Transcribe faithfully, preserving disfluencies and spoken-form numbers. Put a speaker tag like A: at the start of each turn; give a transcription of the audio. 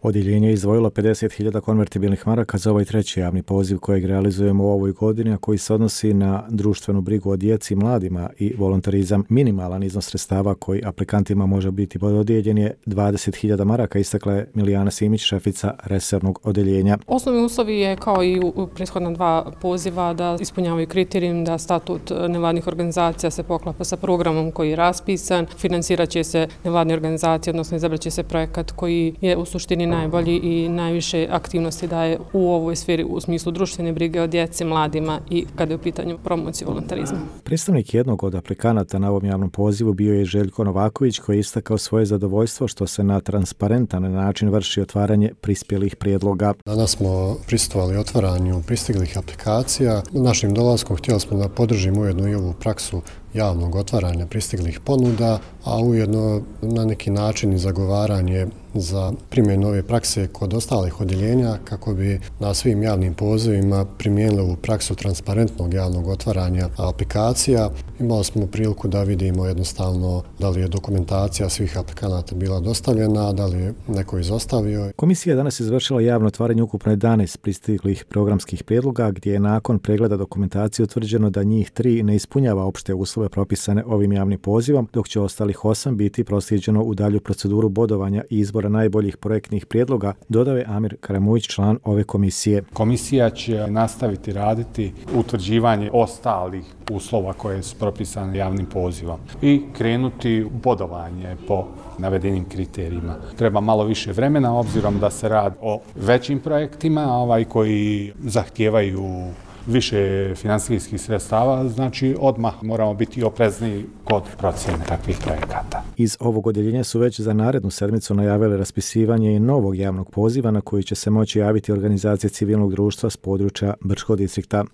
A: Odjeljenje je izdvojilo pedeset hiljada konvertibilnih maraka za ovaj treći javni poziv kojeg realizujemo u ovoj godini, a koji se odnosi na društvenu brigu o djeci i mladima i volontarizam. Minimalan iznos sredstava koji aplikantima može biti dodijeljen je dvadeset hiljada maraka, istakla je Milijana Simić, šefica resornog odjeljenja.
B: Osnovni uslovi je kao i u prethodna dva poziva da ispunjavaju kriterijum da statut nevladnih organizacija se poklapa sa programom koji je raspisan, financirat će se nevladne organizacije, odnosno izabrat će se projekat koji je u suštini najbolji i najviše aktivnosti daje u ovoj sferi u smislu društvene brige o djeci, mladima i kada je u pitanju promocije volontarizma.
A: Predstavnik jednog od aplikanata na ovom javnom pozivu bio je Željko Novaković, koji je istakao svoje zadovoljstvo što se na transparentan način vrši otvaranje prispjelih prijedloga.
C: Danas smo prisustvovali otvaranju pristiglih aplikacija. Našim dolaskom htjeli smo da podržimo ujedno i ovu praksu javnog otvaranja pristiglih ponuda, a ujedno na neki način i zagovaranje za primjenu ove prakse kod ostalih odjeljenja kako bi na svim javnim pozivima primijenili ovu praksu transparentnog javnog otvaranja aplikacija. Imali smo priliku da vidimo jednostavno da li je dokumentacija svih aplikanata bila dostavljena, da li je neko izostavio.
A: Komisija je danas izvršila javno otvaranje ukupno jedanaest pristiglih programskih prijedloga, gdje je nakon pregleda dokumentacije utvrđeno da njih tri ne ispunjava opšte uslove propisane ovim javnim pozivom, dok će ostalih osam biti proslijeđeno u dalju proceduru bodovanja i izbora najboljih projektnih prijedloga, dodao je Amir Karamujić, član ove komisije.
D: Komisija će nastaviti raditi utvrđivanje ostalih uslova koje su propisane javnim pozivom i krenuti u bodovanje po navedenim kriterijima. Treba malo više vremena, obzirom da se radi o većim projektima ovaj, koji zahtijevaju više financijskih sredstava, znači odmah moramo biti oprezni kod procjene takvih projekata.
A: Iz ovog odjeljenja su već za narednu sedmicu najavili raspisivanje i novog javnog poziva na koji će se moći javiti organizacije civilnog društva s područja Brčkog distrikta.